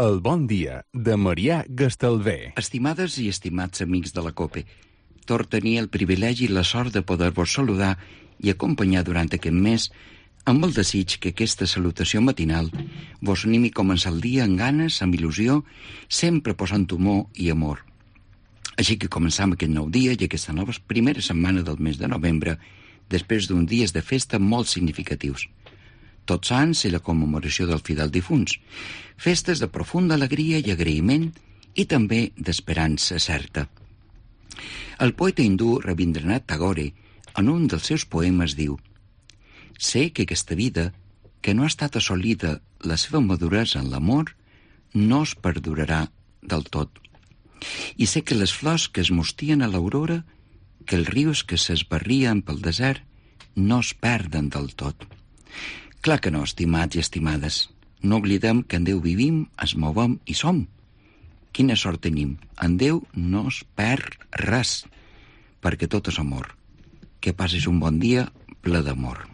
El bon dia de Marià Gastalver. Estimades i estimats amics de la COPE, tor tenir el privilegi i la sort de poder-vos saludar i acompanyar durant aquest mes amb el desig que aquesta salutació matinal vos animi a començar el dia amb ganes, amb il·lusió, sempre posant humor i amor. Així que començam aquest nou dia i aquesta nova primera setmana del mes de novembre, després d'uns dies de festa molt significatius. Tots Sants i la commemoració del fidel difunts, festes de profunda alegria i agraïment i també d'esperança certa. El poeta hindú Rabindranath Tagore, en un dels seus poemes, diu: «Sé que aquesta vida, que no ha estat assolida la seva maduresa en l'amor, no es perdurarà del tot. I sé que les flors que es mostien a l'aurora, que els rius que s'esbarrien pel desert, no es perden del tot». Clar que no, estimats i estimades. No oblidem que en Déu vivim, es movem i som. Quina sort tenim. En Déu no es perd res, perquè tot és amor. Que passis un bon dia ple d'amor.